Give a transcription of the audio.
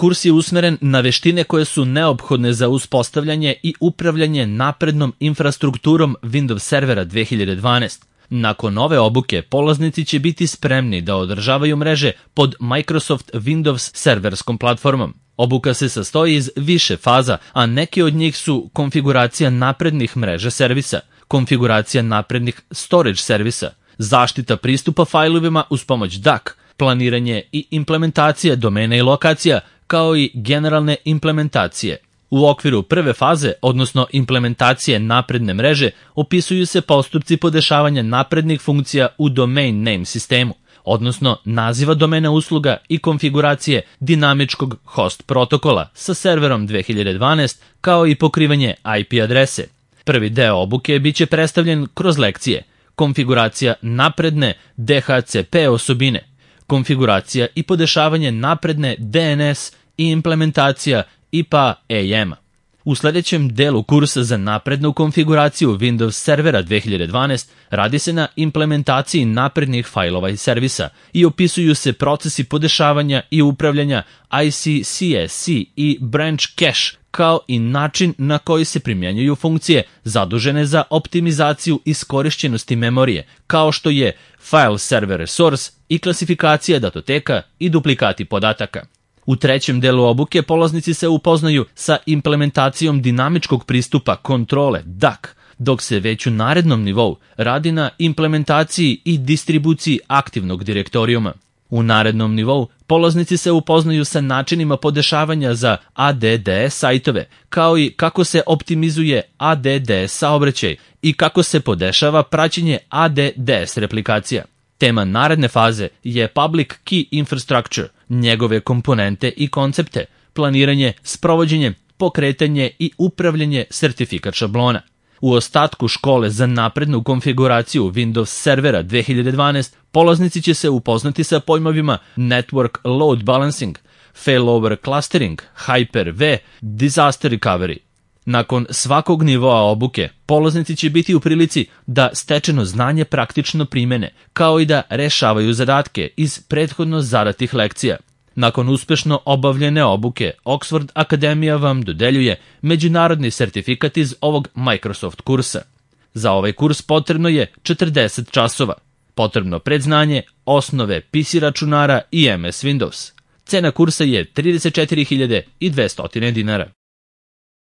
Kurs je usmeren na veštine koje su neophodne za uspostavljanje i upravljanje naprednom infrastrukturom Windows Servera 2012. Nakon ove obuke, polaznici će biti spremni da održavaju mreže pod Microsoft Windows serverskom platformom. Obuka se sastoji iz više faza, a neke od njih su konfiguracija naprednih mreža servisa, konfiguracija naprednih storage servisa, zaštita pristupa fajlovima uz pomoć DAC, planiranje i implementacija domena i lokacija, kao i generalne implementacije. U okviru prve faze, odnosno implementacije napredne mreže, opisuju se postupci podešavanja naprednih funkcija u domain name sistemu, odnosno naziva domena usluga i konfiguracije dinamičkog host protokola sa serverom 2012, kao i pokrivanje IP adrese. Prvi deo obuke biće predstavljen kroz lekcije, konfiguracija napredne DHCP osobine, konfiguracija i podešavanje napredne DNS i implementacija IPA-EM-a. U sljedećem delu kursa za naprednu konfiguraciju Windows Servera 2012 radi se na implementaciji naprednih fajlova i servisa i opisuju se procesi podešavanja i upravljanja ICCSC i Branch Cache, kao i način na koji se primjenjuju funkcije zadužene za optimizaciju iskorišćenosti memorije, kao što je File Server Resource i klasifikacija datoteka i duplikati podataka. U trećem delu obuke polaznici se upoznaju sa implementacijom dinamičkog pristupa kontrole DAC, dok se već u narednom nivou radi na implementaciji i distribuciji aktivnog direktorijuma. U narednom nivou polaznici se upoznaju sa načinima podešavanja za ADDS sajtove, kao i kako se optimizuje ADDS saobraćaj i kako se podešava praćenje ADDS replikacija. Tema naredne faze je Public Key Infrastructure, njegove komponente i koncepte, planiranje, sprovođenje, pokretanje i upravljanje sertifikat šablona. U ostatku škole za naprednu konfiguraciju Windows Servera 2012 polaznici će se upoznati sa pojmovima Network Load Balancing, Failover Clustering, Hyper-V, Disaster Recovery. Nakon svakog nivoa obuke, polaznici će biti u prilici da stečeno znanje praktično primene, kao i da rešavaju zadatke iz prethodno zadatih lekcija. Nakon uspešno obavljene obuke, Oxford Akademija vam dodeljuje međunarodni sertifikat iz ovog Microsoft kursa. Za ovaj kurs potrebno je 40 časova. Potrebno predznanje, osnove PC računara i MS Windows. Cena kursa je 34.200 dinara.